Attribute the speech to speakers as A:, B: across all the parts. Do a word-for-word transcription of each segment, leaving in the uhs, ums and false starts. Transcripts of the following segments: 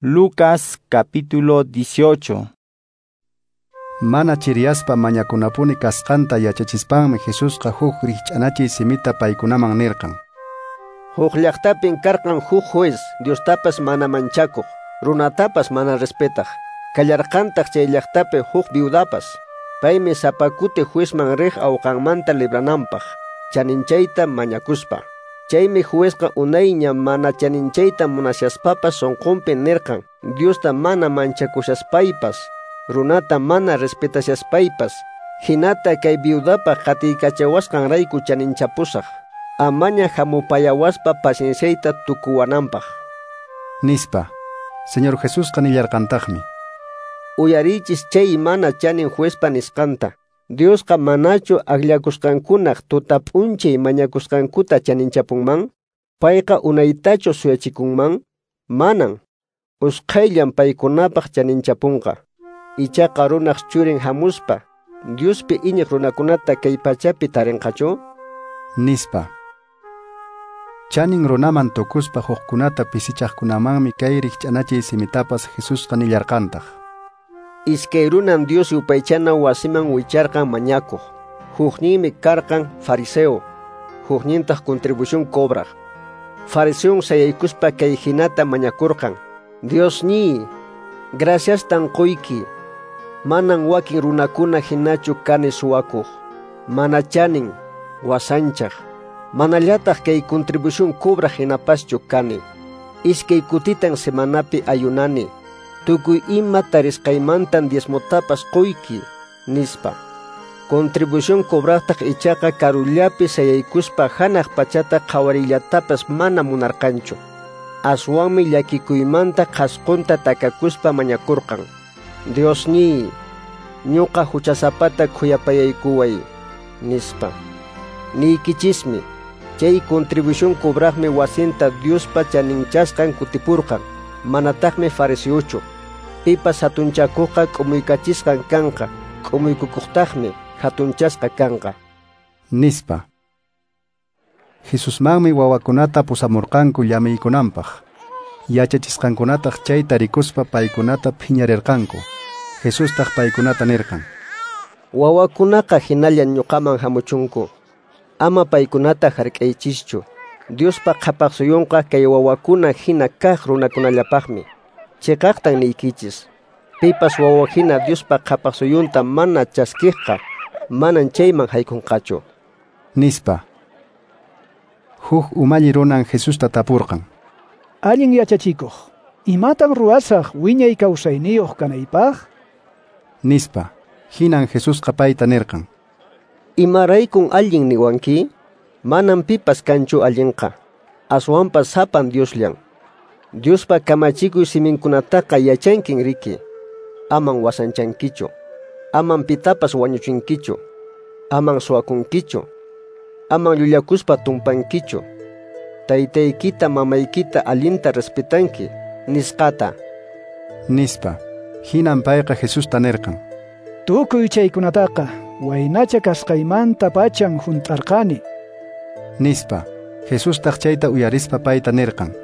A: Lucas capítulo dieciocho.
B: Mana chiriyaspa mañakunapuni kasqanta yachachispanmi Jesusqa huk rikch'anachiy simita paykunaman nirqan.
C: Huk llaqtapin karqan huk juez, Diostapas mana manchakuq, runatapas mana respetaq. Kallarqantaq chay llaqtapi huk viudapas. Paymi sapa kuti juezman riq awqanmanta librananpaq, chaninchayta mañakuspa. Chaymi juezqa unayña mana chaninchayta munashaspapas sunqunpi nirqan, Diosta mana manchakushaspaypas, runata mana respetashaspaypas, hinata kay viudapaq qatiykachawasqanrayku chaninchapusaq, amaña hamupayawaspa pacienciayta tukuwananpaq.
B: Nispa. Señor Jesusqa nillarqantaqmi:
C: Uyarichis chay mana chanin juezpa nisqanta. Diosqa manachu akllakusqankunaq tuta p'unchay mañakusqankuta chaninchapunman? Payqa unaytachu suyachikunman? Manan. Usqhayllan paykunapaq chaninchapunqa. Ichaqa runaq churin hamuspa, Diospi iñiq runakunata kay pachapi tarinqachu?
B: Nispa. Chanin runaman tukuspa hukkunata pisichaqkunamanmi kay rikch'anachiy simitapas Jesusqa nillarqantaq.
C: Iskay runan Dios yupaychana wasiman wicharqan mañakuq. Hukninmi karqan fariseo, huknintaq contribución cobraq. Fariseon sayaykuspa kay hinata mañakurqan: Diosniy, graciastan quyki. Manan wakin runakuna hinachu kani suwakuq, mana chanin, wasanchaq, manallataq kay contribución cobraq hinapaschu kani. Iskay kutitan semanapi ayunani. Tukuy ima tarisqaymantan diezmotapas quyki, nispa. Contribución cobraqtaq ichaqa karullapi sayaykuspa hanaq pachata qhawarillatapas mana munarqanchu. Aswanmi llakikuymanta qhasqunta takakuspa mañakurqan: Diosniy, ñuqa huchasapata khuyapayaykuway, nispa. Niykichismi, chay contribución cobraqmi wasinta Diospa chaninchasqan kutipurqan, manataqmi fariseochu. Pipas hatunchakuqqa k'umuykachisqan kanqa, k'umuykukuqtaqmi hatunchasqa kanqa.
B: Nispa. Jesusmanmi wawakunata pusamurqanku llamiykunanpaq. Yachachisqankunataq chayta rikuspa paykunata phiñarirqanku. Jesustaq paykunata nirqan:
C: Wawakunaqa hinalla ñuqaman hamuchunku. Ama paykunata hark'aychischu. Diospa qhapaq suyunqa kay wawakuna hina kaq runakunallapaqmi. Chiqaqtan niykichis, pipas wawa hina Diospa qhapaq suyunta mana chaskiqqa, manan chayman haykunqachu.
B: Nispa. Huk umalli runan Jesusta tapurqan:
D: Allin yachachikuq, imatan ruwasaq wiñay kawsayniyuq kanaypaq?
B: Nispa. Hinan Jesusqa payta nirqan:
C: Imaraykun allin niwanki? Manan pipas kanchu allinqa, aswanpas sapan Diosllan. Diospa kamachikuy siminkunataqa yachankin riki. Aman wasanchankichu, aman pitapas wañuchinkichu, aman suwakunkichu, aman llullakuspa tumpankichu, taytaykita mamaykita allinta respetanki, nisqata.
B: Nispa. Hinan payqa Jesusta nirqan:
D: Tukuy chaykunataqa waynacha kasqaymanta pachan hunt'arqani.
B: Nispa. Jesustaq chayta uyarispa payta nirqan: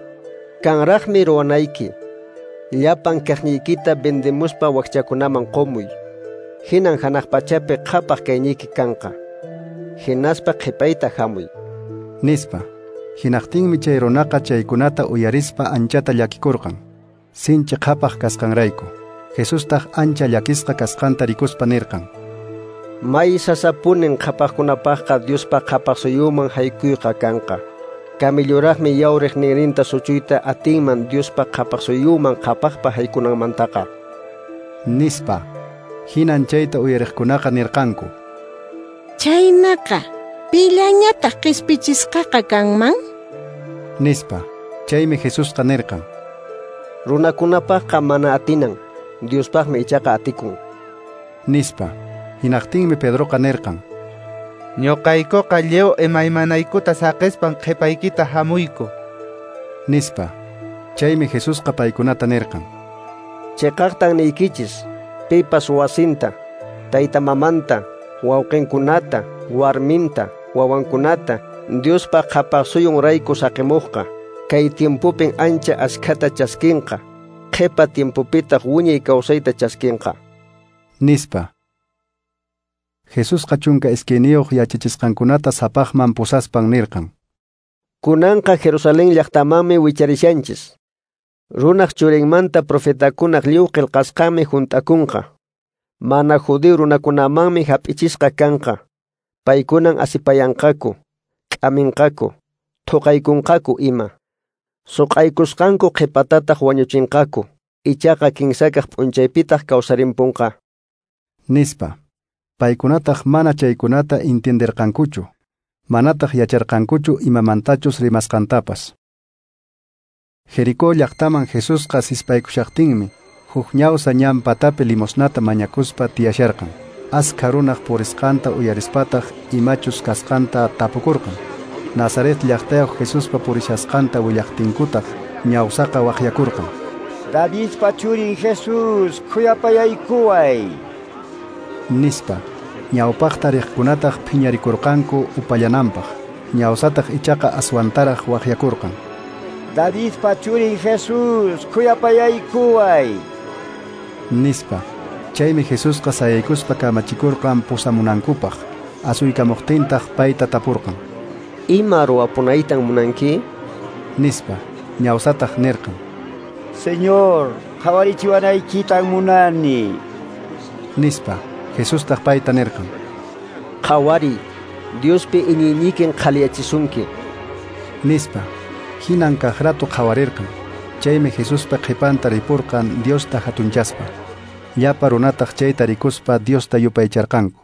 C: Kanraqmi ruwanayki. Llapan kaqniykita vendemuspa wakchakunaman qumuy. Hinan hanaq pachapi qhapaq kayniyki kanqa. Hinaspa qhipayta hamuy.
B: Nispa. Hinaqtinmi chay runaqa chaykunata uyarispa anchata llakikurqan, sinchi qhapaq kasqanrayku. Jesustaq ancha llakisqa kasqanta rikuspa nirqan:
C: May sasapunin qhapaqkunapaqqa Diospa qhapaq suyunman haykuyqa kanqa. Kamilluraqmi yawriq ninrinta suchuyta atinman Diospa qhapaq suyunman qhapaqpa haykunanmantaqa.
B: Nispa. Hinan chayta uyariqkunaqa nirqanku:
E: Chaynaqa, pillañataq qispichisqaqa kanman?
B: Nispa. Chaymi Jesusqa nirqan:
C: Runakunapaqqa mana atinan, Diospaqmi ichaqa atikun.
B: Nispa. Hinaqtinmi Pedroqa nirqan:
F: Ñuqaykuqa lliw imaymanaykuta saqispan qhipaykita hamuyku.
B: Nispa. Chaymi Jesusqa paykunata nirqan:
C: Chiqaqtan niykichis, pipas wasinta, tayta mamanta, wawqinkunata, warminta, wawankunata, Diospa qhapaq suyunrayku saqimuqqa, kay tiempopin ancha askhata chaskinqa, Qhipa tiempopitaq wiñay kawsayta chaskinqa.
B: Nispa. Jesusqa chunka iskayniyuq yachachisqankunata sapaqman pusaspan nirqan:
C: Kunanqa Jerusalén llaqtamanmi wicharishanchis. Runaq churinmanta profetakunaq lliw qillqasqanmi hunt'akunqa. Mana judío runakunamanmi hap'ichisqa kanqa. Paykunan asipayanqaku, k'aminqaku, thuqaykunqaku ima. Suq'aykusqanku qhipatataq wañuchinqaku, ichaqa kinsakaq p'unchaypitaq kawsarimpunqa.
B: Nispa. Paykunataq mana chaykunata entenderqankuchu, manataq yacharqankuchu imamantachus rimasqantapas. Jericó llaqtaman Jesusqa sispaykushaqtinmi, huk ñawsa ñan patapi limosnata mañakuspa tiyasharqan. Askha runaq purisqanta uyarispataq imachus kasqanta tapukurqan. Nazaret llaqtayuq Jesuspa purishasqanta willaqtinkutaq ñawsaqa waqyakurqan:
A: Davidpa churin Jesús, khuyapayaykuway,
B: nispa. Ñawpaqta riqkunataq phiñarikurqanku upallananpaq. Ñawsataq ichaqa aswantaraq waqyakurqan:
A: Davidpa churin Jesús, khuyapayaykuway,
B: nispa. Chaymi Jesusqa sayaykuspa kamachikurqan pusamunankupaq. Asuykamuqtintaq payta tapurqan:
C: Ima ruwapunaytan munanki?
B: Nispa. Ñawsataq nirqan:
A: Señor, qhawarichiwanaykitan munani,
B: nispa. Jesustaq payta nirqan:
C: Qhawariy, Diospi iñiynikin qhaliyachisunki,
B: nispa. Hinan kaq rato qhawarirqan. Chaymi Jesuspa qhipanta ripurqan Diosta hatunchaspa. Llapa runataq chayta rikuspa Diosta yupaycharqanku.